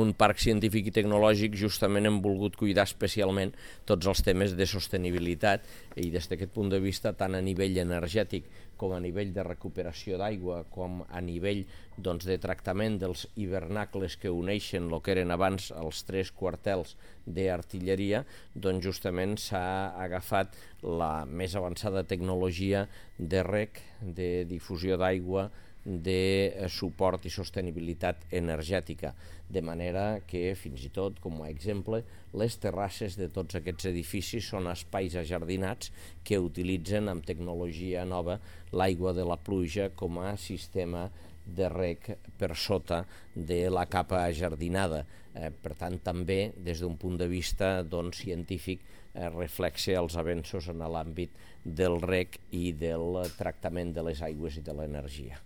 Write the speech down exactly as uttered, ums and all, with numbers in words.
un parc científic i tecnològic justament hem volgut cuidar especialment tots els temes de sostenibilitat i des d'aquest punt de vista tant a nivell energètic com a nivell de recuperació d'aigua, com a nivell doncs, de tractament dels hivernacles que uneixen el que eren abans els tres quartels d'artilleria, doncs justament s'ha agafat la més avançada tecnologia de reg, de difusió d'aigua, de suport i sostenibilitat energètica, de manera que fins i tot, com a exemple, les terrasses de tots aquests edificis són espais ajardinats que utilitzen amb tecnologia nova l'aigua de la pluja com a sistema de reg per sota de la capa ajardinada. Eh, per tant, també, des d'un punt de vista doncs, científic, eh, reflexa els avenços en l'àmbit del reg i del tractament de les aigües i de l'energia.